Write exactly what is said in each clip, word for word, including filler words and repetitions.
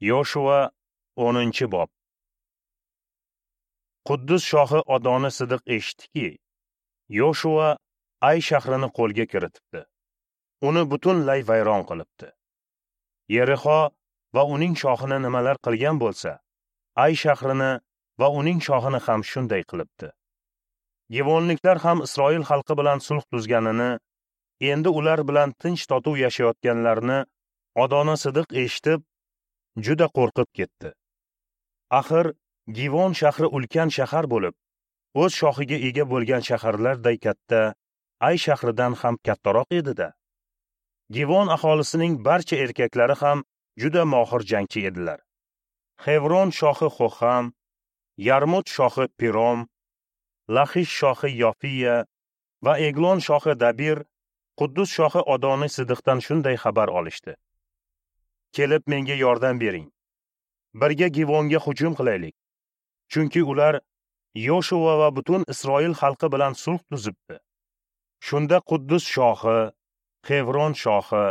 Yoshua o'ninchi bob. Quddus shohi Adoni Sidiq eshitdiki, Yoshua Ay shahrini qo'lga kiritibdi. Uni butunlay vayron qilibdi. Yerixo va uning shohini nimalar qilgan bo'lsa, Ay shahrini va uning shohini ham shunday qilibdi. Givonliklar ham Isroil xalqi bilan sulh tuzganini, endi ular bilan tinch totuv yashayotganlarini Adoni Sidiq eshitib, juda qo'rqib ketdi. Axir Givon shahri ulkan shahar bo'lib, o'z shohiga ega bo'lgan shaharlarday katta, Ay shahridan ham kattaroq edi-da. Givon aholisining barcha erkaklari ham juda mohir jangchi edilar. Xevron shohi Xoham, Yarmut shohi Pirom, Laxish shohi Yofiya va Eglon shohi Dabir Quddus shohi Adoni Sidiqdan shunday xabar olishdi: Kelib menga yordam bering. Birga Givonga hujum qilaylik. Chunki ular Yoshua va butun Isroil xalqi bilan sulh tuzibdi. Shunda Quddus shohi, Xevron shohi,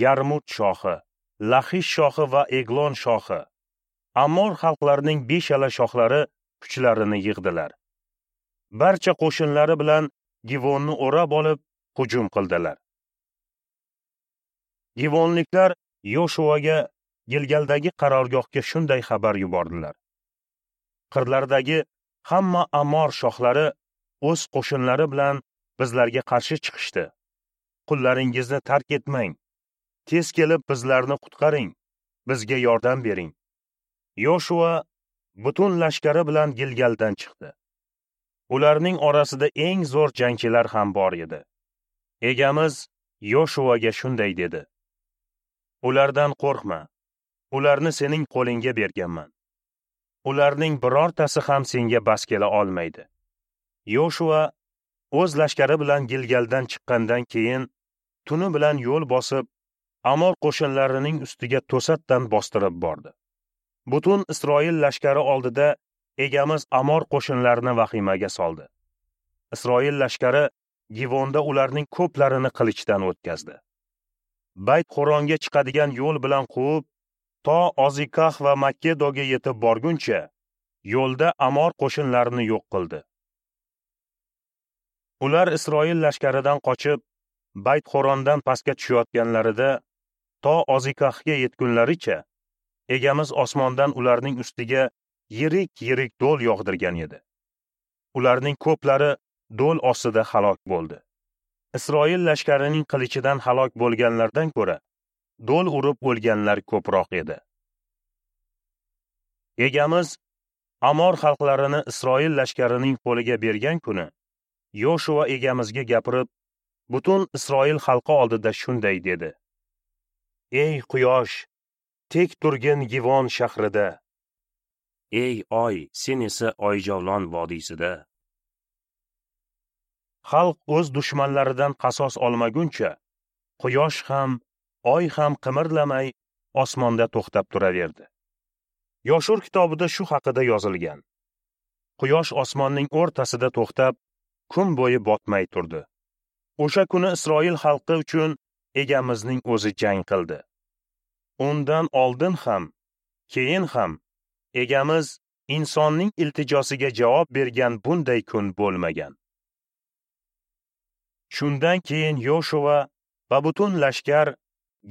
Yarmut shohi, Laxish shohi va Eglon shohi, Amor xalqlarining beshala shohlari kuchlarini yig'dilar. Barcha qo'shinlari bilan Givonni o'rab olib, hujum qildilar. Givonliklar Yoshuaga Gilgaldagi qarorgohga shunday xabar yubordilar: Qirlardagi hamma Amor shohlari o'z qo'shinlari bilan bizlarga qarshi chiqishdi. Qullaringizni tark etmang. Tez kelib bizlarni qutqaring. Bizga yordam bering. Yoshua butun lashkari bilan Gilgaldan chiqdi. Ularning orasida eng zo'r jangchilar ham bor edi. Egamiz Yoshuaga shunday dedi: Ulardan qo'rqma. Ularni sening qo'lingga berganman. Ularning birortasi ham senga bas kela olmaydi. Yoshua o'z lashkari bilan Gilgaldan chiqqandan keyin tuni bilan yo'l bosib, Amor qo'shinlarining ustiga to'satdan bostirib bordi. Butun Isroil lashkari oldida egamiz Amor qo'shinlarini vahimaga soldi. Isroil lashkari Givonda ularning ko'plarini qilichdan o'tkazdi. Bayt Xoronga chiqadigan yo'l bilan quvib, to Ozikah va Makkedoga yetib borguncha yo'lda Amor qo'shinlarini yo'q qildi. Ular Isroil lashkaridan qochib, Bayt Xorondan pastga tushayotganlarida to Ozikahga yetgunlaricha egamiz osmondan ularning ustiga yirik-yirik do'l yog'dirgan edi. Ularning ko'plari do'l ostida halok bo'ldi. Isroil lashkarining qilichidan halok bo'lganlardan ko'ra do'l urib o'lganlar ko'proq edi. Egamiz Amor xalqlarini Isroil lashkarining qo'liga bergan kuni Yoshua egamizga gapirib, butun Isroil xalqi oldida shunday dedi: Ey quyosh, tek turgin Givon shahrida. Ey oy, sen esa Oyjovlon vodiysida. Xalq o'z dushmanlaridan qasos olmaguncha, quyosh ham, oy ham qimirlamay osmonda to'xtab turaverdi. Yoshur kitobida shu haqida yozilgan. Quyosh osmonning o'rtasida to'xtab, kun bo'yi botmay turdi. O'sha kuni Isroil xalqi uchun egamizning o'zi jang qildi. Undan oldin ham, keyin ham egamiz insonning iltijosiga javob bergan bunday kun bo'lmagan. Shundan keyin Yoshua va butun lashkar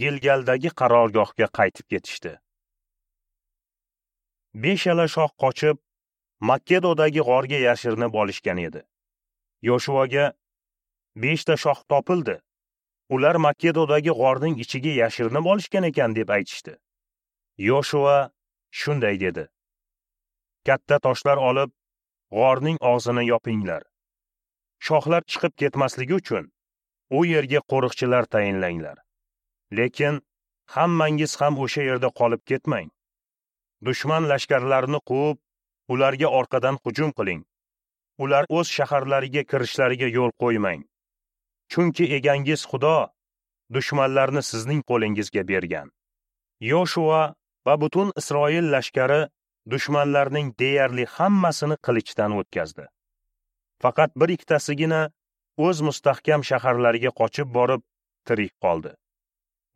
Gilgaldagi qarorgohga qaytib ketishdi. Beshala shoh qochib, Makkedodagi g'orga yashirinib olishgan edi. Yoshuaga beshta shoh topildi. Ular Makkedodagi g'orning ichiga yashirinib olishgan ekan deb aytishdi. Yoshua shunday dedi: Katta toshlar olib, g'orning og'zini yopinglar. Shohlar chiqib ketmasligi uchun u yerga qo'riqchilar tayinlanglar. Lekin hammangiz ham o'sha yerda qolib ketmang. Dushman lashkarlarini quvib, ularga orqadan hujum qiling. Ular o'z shaharlariga kirishlariga yo'l qo'ymang. Chunki egangiz Xudo dushmanlarni sizning qo'lingizga bergan. Yoshua va butun Isroil lashkari dushmanlarning deyarli hammasini qilichdan o'tkazdi. Faqat bir ikkitasigina o'z mustahkam shaharlariga qochib borib tirik qoldi.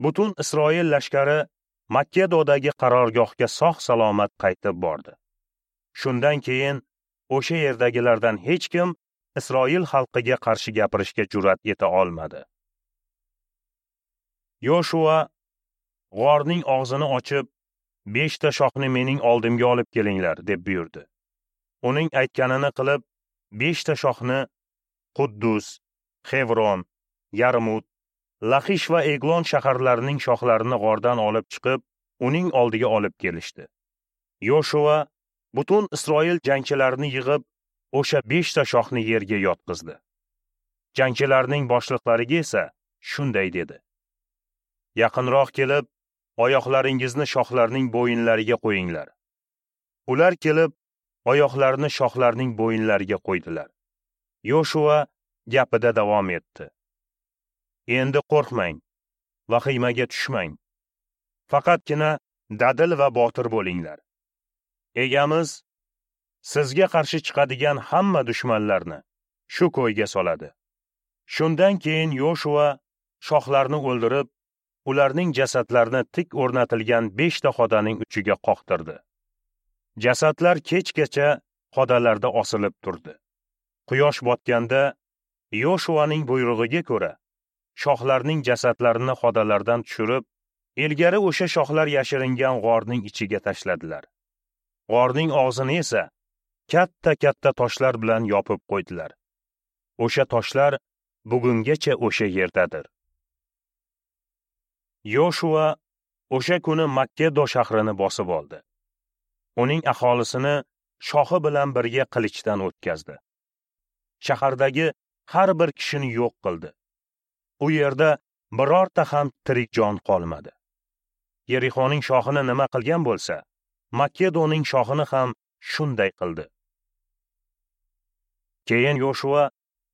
Butun Isroil lashkari Makkedodagi qarorgohga sog'-salomat qaytib bordi. Shundan keyin o'sha yerdagilardan hech kim Isroil xalqiga qarshi gapirishga jur'at eta olmadi. Yoshua g'orning og'zini ochib, beshta shoxni mening oldimga olib kelinglar, deb buyurdi. Uning aytganini qilib, beshta shoxni Quddus, Xevron, Yarmut, Laxish va Eglon shaharlarining shoxlarini g'ordan olib chiqib, uning oldiga olib kelishdi. Yoshua butun Isroil jangchilarini yig'ib, o'sha beshta shoxni yerga yotqizdi. Jangchilarning boshliqlariga esa shunday dedi: Yaqinroq kelib, oyoqlaringizni shoxlarning bo'yinlariga qo'yinglar. Ular kelib, oyoqlarini shoxlarning bo'yinlariga qo'ydilar. Yoshua gapida davom etdi: Endi qo'rqmang, vahimaga tushmang. Faqatgina dadil va botir bo'linglar. Egamiz sizga qarshi chiqadigan hamma dushmanlarni shu ko'yga soladi. Shundan keyin Yoshua shoxlarni o'ldirib, ularning jasadlarini tik o'rnatilgan beshta xodaning uchiga qoqtirdi. Jasadlar kechgacha xodalarda osilib turdi. Quyosh botganda Yoshuaning buyrug'iga ko'ra shoxlarning jasadlarini xodalardan tushirib, ilgari o'sha shoxlar yashiringan g'orning ichiga tashladilar. G'orning og'zini esa katta-katta toshlar bilan yopib qo'ydilar. O'sha toshlar bugungacha o'sha yerdadir. Yoshua o'sha kuni Makkedo shahrini bosib oldi. Uning aholisini shoxi bilan birga qilichdan o'tkazdi. Shahardagi har bir kishini yo'q qildi. U yerda birorta ham tirik jon qolmadi. Yerixoning shoxini nima qilgan bo'lsa, Makkedoning shoxini ham shunday qildi. Keyin Yoshua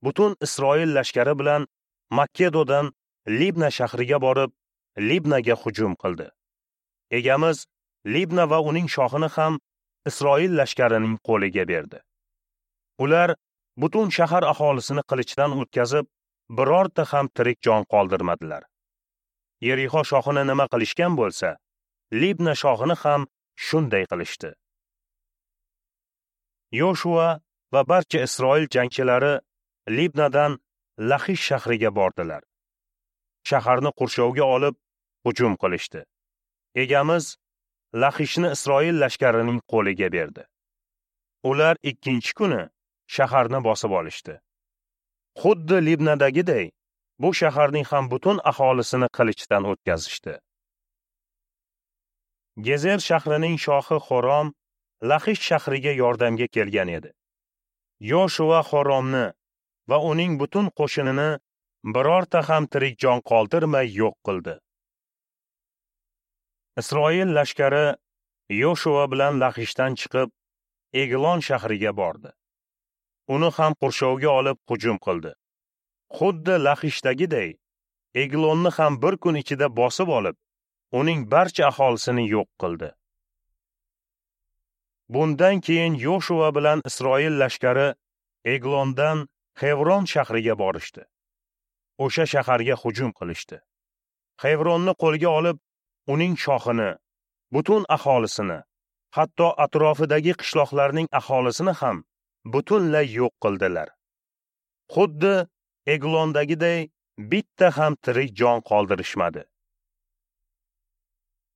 butun Isroil lashkari bilan Makkedodan Libna shahriga borib, Libnaga hujum qildi. Egamiz Libna va uning shoxini ham Isroil lashkarining qo'liga berdi. Ular butun shahar aholisini qilichdan o'tkazib, birorta ham tirik jon qoldirmadilar. Yerixo shoxini nima qilishgan bo'lsa, Libna shoxini ham shunday qilishdi. Yoshua va barcha Isroil jangchilari Libnadan Laxish shahriga bordilar. Shaharni qurshovga olib, hujum qilishdi. Egamiz Laxishni Isroil lashkarining qo'liga berdi. Ular ikkinchi kuni shaharni bosib olishdi. Xuddi Libnadagiday, bu shaharning ham butun aholisini qilichdan o'tkazishdi. Gezer shahrining shohi Xorom Laxish shahriga yordamga kelgan edi. Yoshua Xoromni va uning butun qo'shinini birorta ham tirik jon qoldirmay yo'q qildi. Isroil lashkari Yoshua bilan Laxishdan chiqib, Eglon shahriga bordi. Uni ham qurshovga olib hujum qildi. Xuddi Laxishdagiday, Eglonni ham bir kun ichida bosib olib, uning barcha aholisini yo'q qildi. Bundan keyin Yoshua bilan Isroil lashkari Eglondan Xevron shahriga borishdi. O'sha shaharga hujum qilishdi. Xevronni qo'lga olib, uning shoxini, butun aholisini, hatto atrofidagi qishloqlarning aholisini ham butunlay yo'q qildilar. Xuddi Eglondagiday bitta ham tirik jon qoldirishmadi.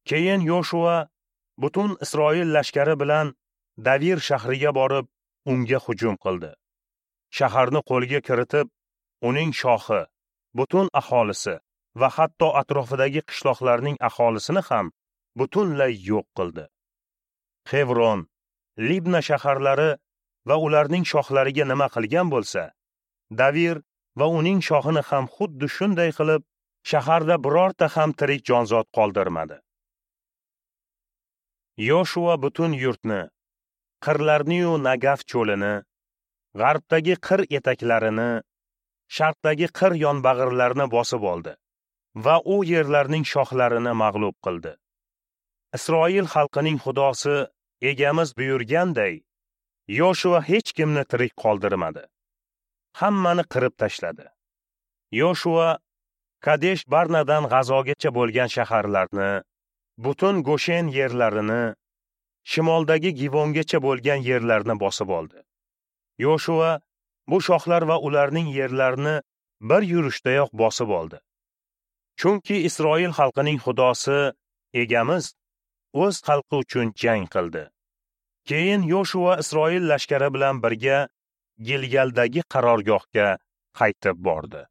Keyin Yoshua butun Isroil lashkari bilan Davir shahriga borib, unga hujum qildi. Shaharni qo'lga kiritib, uning shoxi, butun aholisi va hatto atrofidagi qishloqlarning aholisini ham butunlay yo'q qildi. Xevron, Libna shaharlari va ularning shoxlariga nima qilgan bo'lsa, Davir va uning shoxini ham xuddi shunday qilib, shaharda birorta ham tirik jonzot qoldirmadi. Yoshua butun yurtni, qirlarni-yu Nagaf cho'lini, g'arbdagi qir etaklarini, sharqdagi qir yonbag'irlarini bosib oldi va u yerlarning shoxlarini mag'lub qildi. Isroil xalqining Xudosi egamiz buyurganday, Yoshua hech kimni tirik qoldirmadi. Hammani qirib tashladi. Yoshua Kadesh Barnadan G'azogacha bo'lgan shaharlarni, Butun Goshen yerlarini, shimoldagi Givongacha bo'lgan yerlarni bosib oldi. Yoshua bu shohlar va ularning yerlarini bir yurishdayoq bosib oldi. Chunki Isroil xalqining Xudosi Egamiz o'z xalqi uchun jang qildi. Keyin Yoshua Isroil lashkari bilan birga Gilgaldagi qarorgohga qaytib bordi.